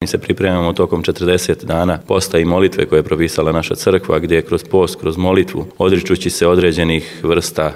Mi se pripremamo tokom 40 dana posta i molitve koje je propisala naša crkva, gdje je kroz post, kroz molitvu, odričući se određenih vrsta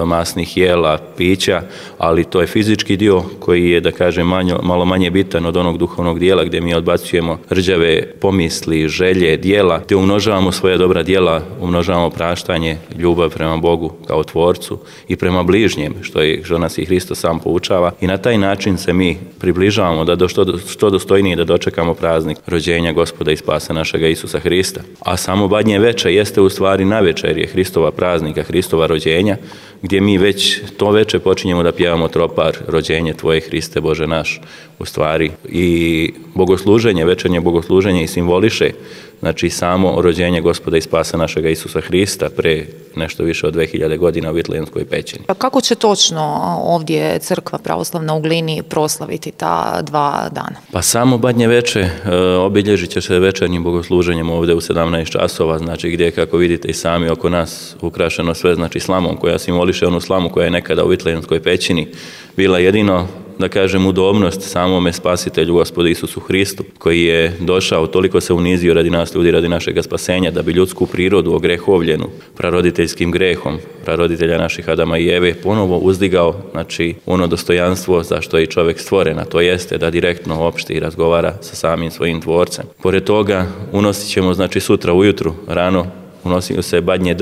masnih jela, pića, ali to je fizički dio koji je, da kažem, malo manje bitan od onog duhovnog dijela gdje mi odbacujemo rđave pomisli, želje, dijela, gdje umnožavamo svoja dobra dijela, umnožavamo praštanje, ljubav prema Bogu kao Tvorcu i prema bližnjem, što nas i Hristos sam poučava, i na taj način se mi približavamo da što dostojnije da dočekamo praznik rođenja Gospoda i spasa našega Isusa Hrista. A samo Badnje veče jeste u stvari navečer je Hristova praznika, Hristova rođenja, gdje mi već to veče počinjemo da pjevamo tropar Rođenje Tvoje Hriste Bože naš, u stvari. I bogosluženje, večernje bogosluženje i simboliše, znači samo rođenje Gospoda i spasa našega Isusa Hrista pre nešto više od 2000 godina u Vitlejemskoj pećini. Pa kako će točno ovdje Crkva pravoslavna u Glini proslaviti ta 2 dana? Pa samo Badnje veče obilježit će se večernjim bogosluženjem ovdje u 17 časova, znači gdje, kako vidite i sami oko nas, ukrašeno sve, znači slamom koja simboliše onu slamu koja je nekada u Vitlejemskoj pećini bila jedino, da kažem, udobnost samome Spasitelju Gospodu Isusu Hristu, koji je došao, toliko se unizio radi nas ljudi, radi našega spasenja, da bi ljudsku prirodu ogrehovljenu praroditeljskim grehom, praroditelja naših Adama i Eve, ponovo uzdigao, znači, ono dostojanstvo za što je i čovjek stvoren, a to jeste da direktno opšti i razgovara sa samim svojim Tvorcem. Pored toga, unosit ćemo, znači, sutra ujutru, rano, unosi se badnje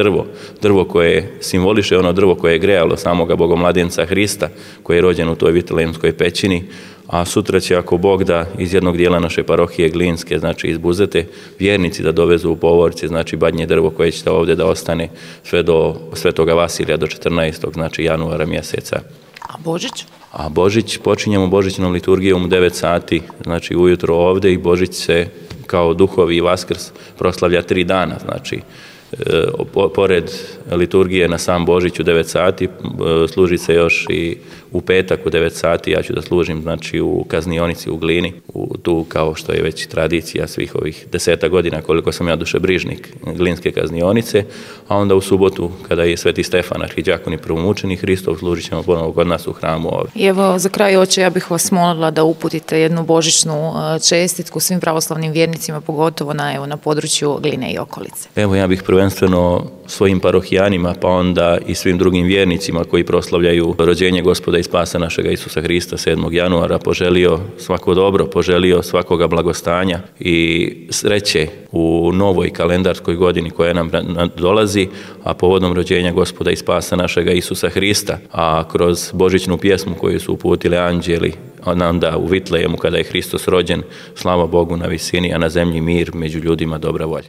drvo koje simboliše ono drvo koje je grejalo samoga Bogomladenca Hrista, koji je rođen u toj Vitlejemskoj pećini, a sutra će, ako Bog da, iz jednog dijela naše parohije Glinske, znači iz Buzete, vjernici da dovezu u Povorci, znači badnje drvo koje će ovdje da ostane sve do Svetoga Vasilija, do 14. znači januara mjeseca. A Božić? A Božić, počinjemo božićnom liturgijom u 9 sati, znači ujutro ovdje, i Božić se kao duhovi i Vaskrs proslavlja 3 dana, znači pored liturgije na sam Božić u 9 sati, služi se još i u petak u 9 sati, ja ću da služim, znači, u kaznionici u Glini, tu kao što je već tradicija svih ovih 10 godina koliko sam ja dušebrižnik Glinske kaznionice, a onda u subotu kada je Sveti Stefan, arhidjakon i prvomučenik Hristov, služit ćemo ponovo kod nas u hramu ovdje. I evo, za kraj, oče, ja bih vas molila da uputite jednu božićnu čestitku svim pravoslavnim vjernicima, pogotovo na području Gline i okolice. Evo, ja bih prvenstveno svojim parohijanima, pa onda i svim drugim vjernicima koji proslavljaju rođenje Gospoda i spasa našega Isusa Hrista 7. januara poželio svako dobro, poželio svakoga blagostanja i sreće u novoj kalendarskoj godini koja nam dolazi, a povodom rođenja Gospoda i spasa našega Isusa Hrista, a kroz božićnu pjesmu koju su uputili anđeli onda u Vitlejemu kada je Hristos rođen, slava Bogu na visini, a na zemlji mir, među ljudima dobra volja.